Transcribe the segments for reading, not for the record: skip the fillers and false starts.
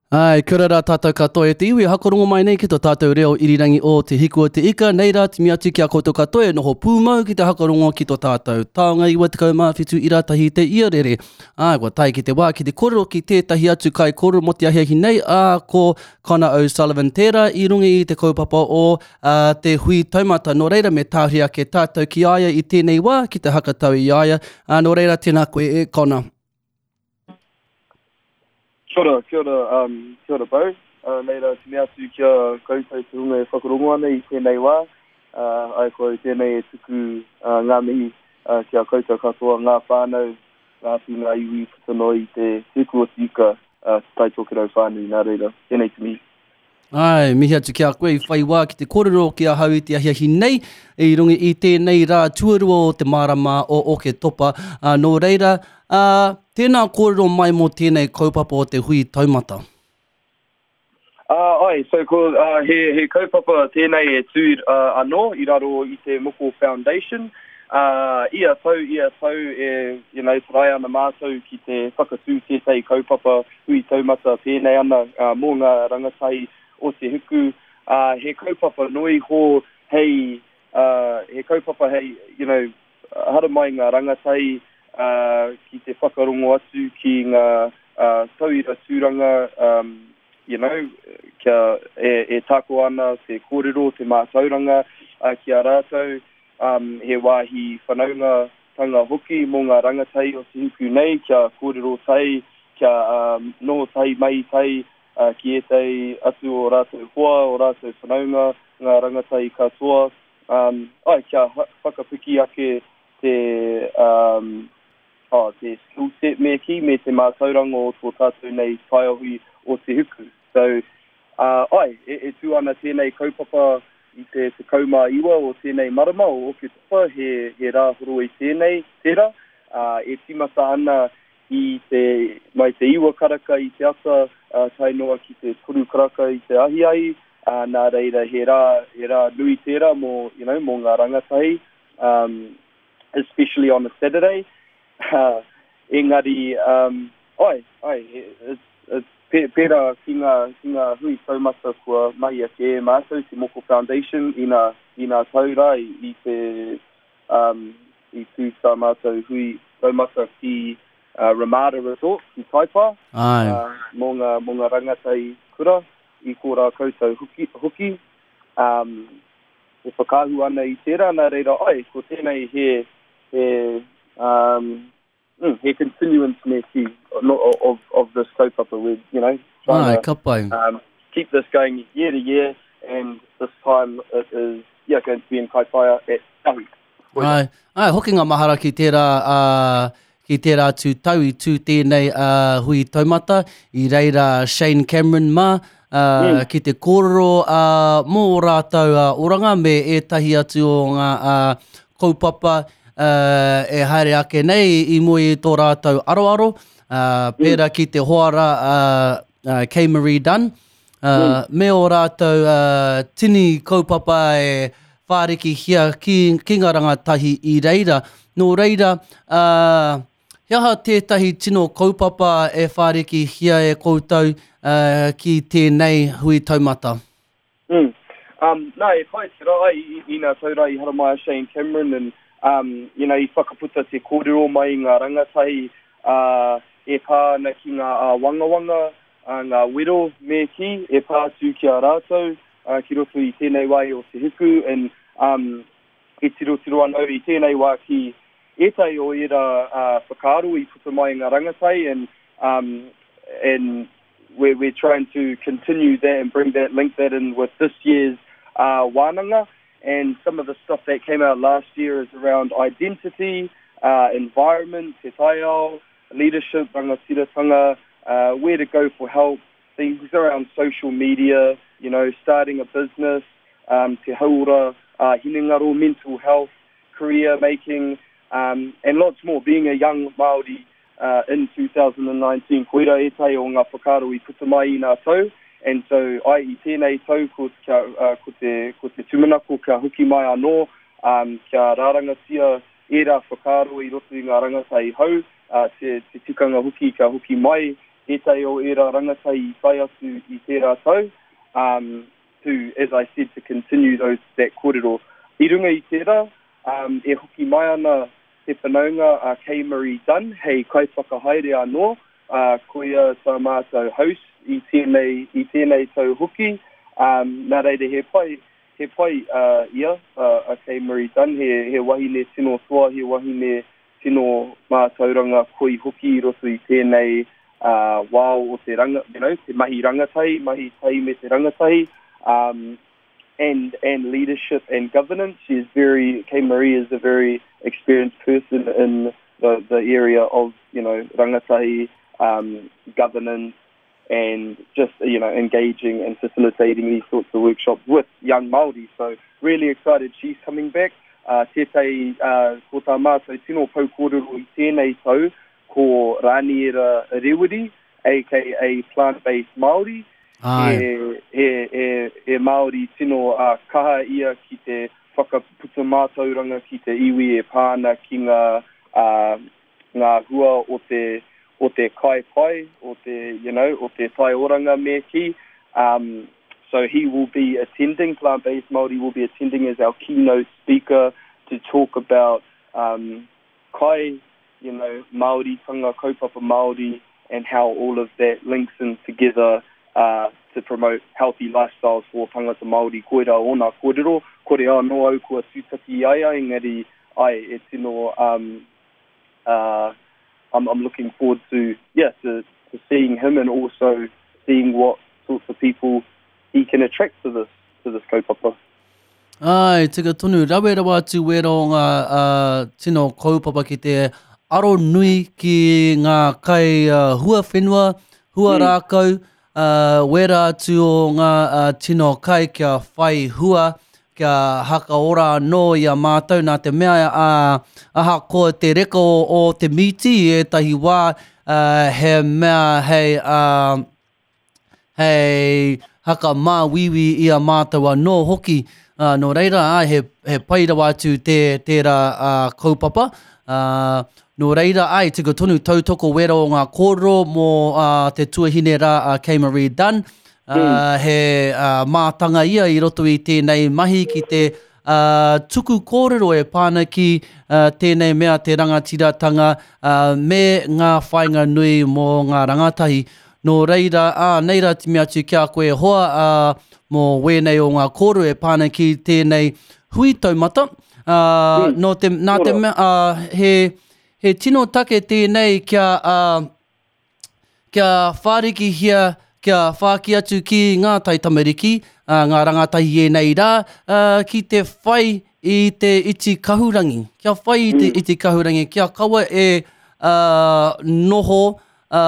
Āe, kia ora rā tātou katoa e te iwi e hakarongo mai nei ki tō tātou reo irirangi o Te Hiku o Te Ika, nei rā timi atu ki a koutou katoa e noho pūmau ki te hakarongo ki tō tātou taonga 97 ira tahi te iarere. Āe, kua tae ki te wā ki te kōrero ki tētahi atu kaikōrero mō te ahiahi nei, ā, ko Connor O'Sullivan tērā i runga i te kaupapa o ā, te hui taumata. Nō reira, me tāhuri ake tātou ki a ia i tēnei wā, ki te hakatau i a ia. Ā, nō reira, tēnā koe e Connor. Kia ora, kia ora, um, kia ora Beau. Uh, nei rā te mea atu ki a koutou te hunga e whakarongo ana i tēnei wā. Uh, ai ko au tēnei e tuku uh, ngā mihi uh, ki a koutou katoa, ngā whānau, ngā atu ngā iwi puta noa i te Hiku o te Ika, uh, Te Tai Tokerau whānui. Nā reira, tēnei te mihi. Āe, mihi atu ki a koe i whai wā ki te kōrero ki ahau i te ahiahi nei, i runga i tēnei rā tuarua o te marama o Oketopa. Ā, nō reira, ā, tēnā kōrero mai mō tēnei kaupapa o te hui taumata. Ā, āe, so ko, ā, he, he kaupapa tēnei e tū ā, anō i raro i te Moko Foundation. Ā, ia tau, ia tau e, you know, taraia ana mātou ki te whakatū tētahi kaupapa hui taumata pēnei ana mō ngā rangatahi o te huku, ā, he kaupapa noa iho hei, ā, he kaupapa hei, you know, haramai ngā rangatahi, ā, ki te whakarongo atu ki ngā, ā, tauira tūranga, ā, you know, kia, e, e tako ana te kōrero, te mātauranga, ā, ki a rātou, ā, he wāhi whanaunga tanga hoki mō ngā rangatahi o te hiku nei kia kōrero tahi, kia noho tahi, mahi tahi ki ētahi atu o rātou hoa, o rātou whanaunga, ngā rangatahi katoa, āe, kia whakapiki ake te, oh, te skill set me kī, me te mātauranga o tō tātou nei taiohi o te hiku. So, ā, āe, e, e tū ana tēnei kaupapa i te 19 o tēnei marama o Oketopa, he, he rā horoi tēnei, tērā, ā, e tīmata ana i te, mai te iwa karaka i te ata, ā, tae noa ki te toru karaka i te ahiahi, ā, nā reira he rā, he rā nui tērā mō, you know, mō ngā rangatahi, um, especially on a Saturday. Engari, um, ai, ai, it's, it's pērā ki ngā, ki ngā hui taumata kua mahia kē e mātou, te Moko Foundation, i nā, i nā tau rā, i, i te, um, i tū tā mātou hui taumata ki uh, Ramada Resort, ki Taipā, Ai. Uh, mō ngā, mō ngā rangatahi kura, i kō rā koutou hoki, hoki. Um, e whakaahua ana i tērā, nā reira, ai, ko tēnei he, he, um, mm, he continuance me kī, no, of, of this kaupapa. We're, you know, trying Ai, to ka pai. um, keep this going year to year, and this time it is, yeah, going to be in Kaitaia at Tahu. Ai, ai, hoki ngā mahara ki tērā, uh, ki tērā atu tau i tū tēnei uh, hui taumata, i reira Shane Cameron mā, uh, mm. ki te kōrero uh, mō ō rātou uh, oranga me ētahi atu o ngā uh, kaupapa uh, e haere ake nei i mua i tō rātou aroaro, uh, pērā mm. ki te hoara uh, uh, Kay Marie Dunn, uh, mm. me ō rātou uh, tini kaupapa e whārikihia ki, ki ngā rangatahi i reira. Nō reira, uh, he aha tētahi tino kaupapa e whārikihia e koutou uh, ki tēnei hui taumata? Mm. Um, nā, e pai te rā i, i, i nā tau rā i haramai a Shane Cameron and, um, you know, i whakaputa te kōrero mai i ngā rangatahi uh, e pā ana ki ngā āwangawanga, uh, ngā wero me kī, e pā atu ki a rātou uh, ki roto i tēnei wā o te hiku and um, e tirotiro ana au i tēnei wā ki ētahi o ērā uh, whakaaro i puta mai i ngā rangatahi and, um, and we're, we're trying to continue that and bring that, link that in with this year's uh, wānanga. And some of the stuff that came out last year is around identity, uh, environment, te taiao, leadership, rangatiratanga, uh, where to go for help, things around social media, you know, starting a business, um, te hauora, uh, hinengaro, mental health, career making, um, and lots more. Being a young Māori uh, in 2019, koira ētahi o ngā whakaaro i puta mai i ngā tau, and so ai i tēnei tau ko, kia, uh, ko, te, ko te tūmanako kia hoki mai anō, um, kia rārangatia ērā whakaaro i roto i ngā rangatahi hou, uh, te, te tikanga hoki kia hoki mai. tētahi o ērā rangatahi i tae atu i tērā tau, um, to, as I said, to continue those, that kōrero. I runga i tērā, um, e hoki mai ana te whanaunga a Kay Marie Dunn hei kaiwhakahaere anō, ā, koia tā mātou host i tēnei, i tēnei tau hoki, um, nā reira he pai, he pai a ia, a Kay Marie Dunn, he, he wahine tino toa, he wahine tino mātauranga koi hoki i roto i tēnei uh, wao o te ranga, you know, te mahi rangatahi, mahi tahi me te rangatahi, um, and, and leadership and governance. She is very, Kay Marie is a very experienced person in the, the area of, you know, rangatahi, um, governance, and just, you know, engaging and facilitating these sorts of workshops with young Māori. So really excited she's coming back. Uh, tētahi, uh, ko tā mātou tino pou kōrero i tēnei tau, ko Raniera Rewiri, aka Plant-Based Māori. Ai. He, he, he, he Māori tino uh, kaha ia ki te whakaputa mātauranga ki te iwi e pā ana ki ngā, uh, ngā hua o te, o te kai pai, o te, you know, o te taioranga me kī. Um, so he will be attending, Plant-Based Māori will be attending as our keynote speaker to talk about um, kai, you know, Māoritanga, kaupapa Māori, and how all of that links in together uh, to promote healthy lifestyles for tangata Māori. Koira ōna kōrero, kore anō au kua tūtaki i a ia, engari ai, e tino, um, uh, I'm, I'm looking forward to, yeah, to, to seeing him and also seeing what sorts of people he can attract to this, to this kaupapa. Āe, tika tonu, rawe rawa atu wērā o ngā uh, tino kaupapa ki te aro nui ki ngā kai uh, hua whenua, hua mm. rākau, uh, wērā atu o ngā uh, tino kai kia whai hua, kia hakaora anō i a mātou nā te mea uh, ahakoa te reka o, o te mīti i ētahi wā uh, he mea hei uh, hei hakamāuiui i a mātou anō hoki. Ā, nō reira, ā, he, he pai rawa atu tē, tērā ā, kaupapa. Ā, nō reira, āe, tika tonu tautoko wera o ngā kōrero mō ā, te tuahine rā a Kay Marie Dunn. Ā, he ā, mātanga ia i roto i tēnei mahi ki te ā, tuku kōrero e pā ana ki ā, tēnei mea te rangatiratanga ā, me ngā whāinga nui mō ngā rangatahi. Nō reira, ā, nei rā te mea atu ki a koe e hoa, ā, mō wēnei o ngā kōrero e pā ana ki tēnei hui taumata, ā, nō te, nā te mea, ā, he, he tino take tēnei kia, ā, kia whārikihia, kia whāki atu ki ngā taitamariki, ā, ngā rangatahi i ēnei rā, ā, ki te whai i te iti kahurangi, kia whai i te iti kahurangi, kia kaua e, ā, noho, ā,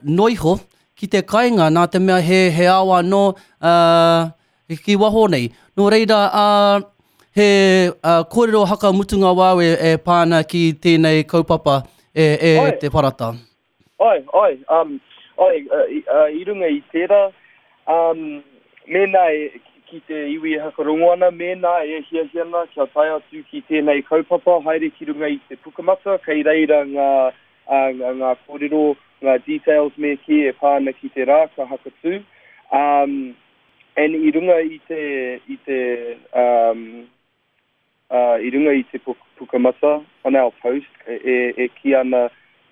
noiho ki te kainga nā te mea he, he ao anō, ā, ki waho nei. Nō reira, ā, he ā, kōrero hakamutunga wāu e, e pā ana ki tēnei kaupapa e, e Ai. te parata. Ai, ai, um, ai, uh, i, uh, i runga i tērā, um, mēnā e, ki te iwi e hakarongo ana, mēnā e hiahia ana kia tae atu ki tēnei kaupapa, haere ki runga i te Pukamata, kei reira ngā, ā, ngā, ngā kōrero, ngā details me kī e pā ana ki te rā ka hakatū. Um, and i runga i te, i te, um, uh, i runga i te pukamata, on our post, e, e, e kī ana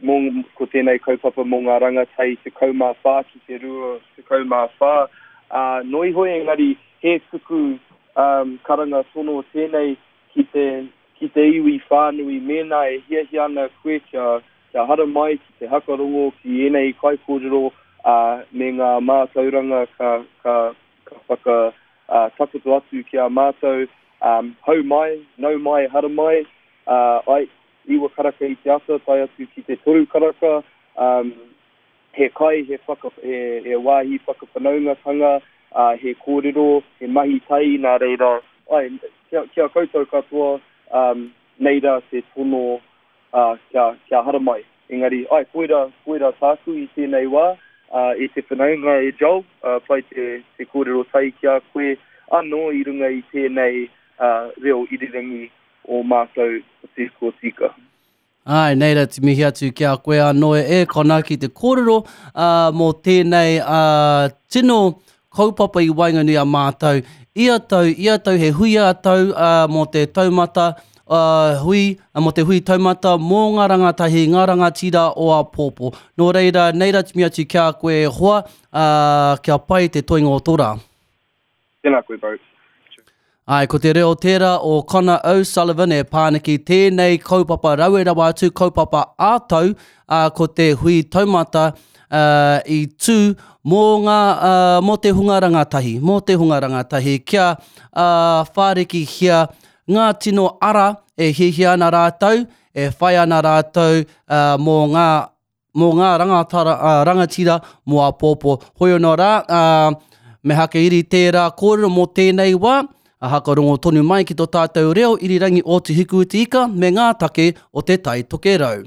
mō, ko tēnei kaupapa mō ngā rangatahi 14 ki te 24, ā, noa iho engari he tuku um, karanga tono tēnei ki te, ki te iwi whānui mēnā e hiahia ana koe kia, kia haramai ki te hakarongo ki ēnei kaikōrero, ā, me ngā mātauranga ka, ka, ka whaka, ā, takoto atu ki a mātou, ā, hau mai, nau mai, haramai, ā, ai, iwa karaka i te ata tae atu ki te toru karaka, ā, he kai, he whaka, he, he wāhi whakawhanaungatanga, ā, he kōrero, he mahi tahi, nā reira, āe, ki a, ki a koutou katoa, ā, nei rā te tono, ā, kia, kia haramai. Engari, āe, koirā, koirā tāku i tēnei wā, ā, e te whanaunga e Joel, ā, pai te, te kōrero tahi ki a koe anō i runga i tēnei, ā, reo irirangi o mātou o Te Huka o Tika. Āe, nei rā te mihi atu ki a koe anō e Connor ki te kōrero uh, mō tēnei uh, tino kaupapa i waenganui a mātou. Ia tau, ia tau he hui a tau uh, mō te taumata uh, hui, uh, mō te hui taumata mō ngā rangatahi, ngā rangatira o āpōpō. Nō reira, nei rā te mihi atu ki a koe e hoa, uh, kia pai te toenga o tō rā. Tēnā koe, bro. Āe, ko te reo tērā o Connor O'Sullivan e pā ana ki tēnei kaupapa rawe rawa atu, kaupapa ā-tau, ā, ko te hui taumata ā, i tū mō ngā, ā, mō te hunga rangatahi, mō te hunga rangatahi kia, ā, whārikihia ngā tino ara e hiahia ana rātou, e whai ana rātou, ā, mō ngā mō ngā rangatara, ā, rangatira mō āpōpō. Hoi anō rā, ā, me hakairi tērā kōrero mō tēnei wā, ā, hakarongo tonu mai ki tō tātou reo irirangi o Te Hiku i te Ika me ngā take o Te Tai Tokerau.